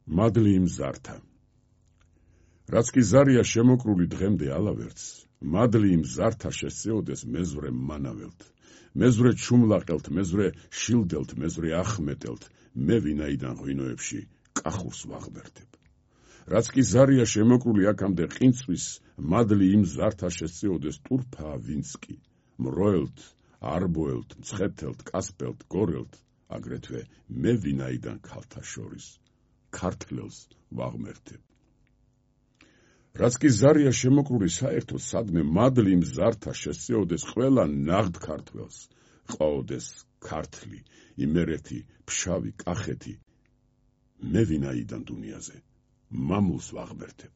მადლი იმ ზართა. რაც კი ზარია შემოკრული დღემდე ალავერც, მადლი იმ ზართა შესწეოდეს მეზვრე მანაველთ, მეზვრე ჩუმლაყელთ, მეზვრე შილდელთ, მეზვრე ახმეტელთ, მე ვინაიდან ღვინოებში კახურს ვაღმერთებ. რაც კი ზარია შემოკრული აქამდე ყინწვის, მადლი იმ ზართა შესწეოდეს ტურფა ვინც კი, მროელთ, არბოელთ, მცხეთელთ, კასპელთ, გორელთ, აგრეთვე მე ვინაიდან ქალთა შორის ქართლელს ვაღმერთებ. რაც კი ზარია შემოკრული საერთოდ სადმე მადლი იმ ზართა შესწეოდეს ყველა ნაღდ ქართველს, ყვაოდეს ქართლი, იმერეთი, ფშავი, კახეთი, მე ვინაიდან დუნიაზე მამულს ვაღმერთებ.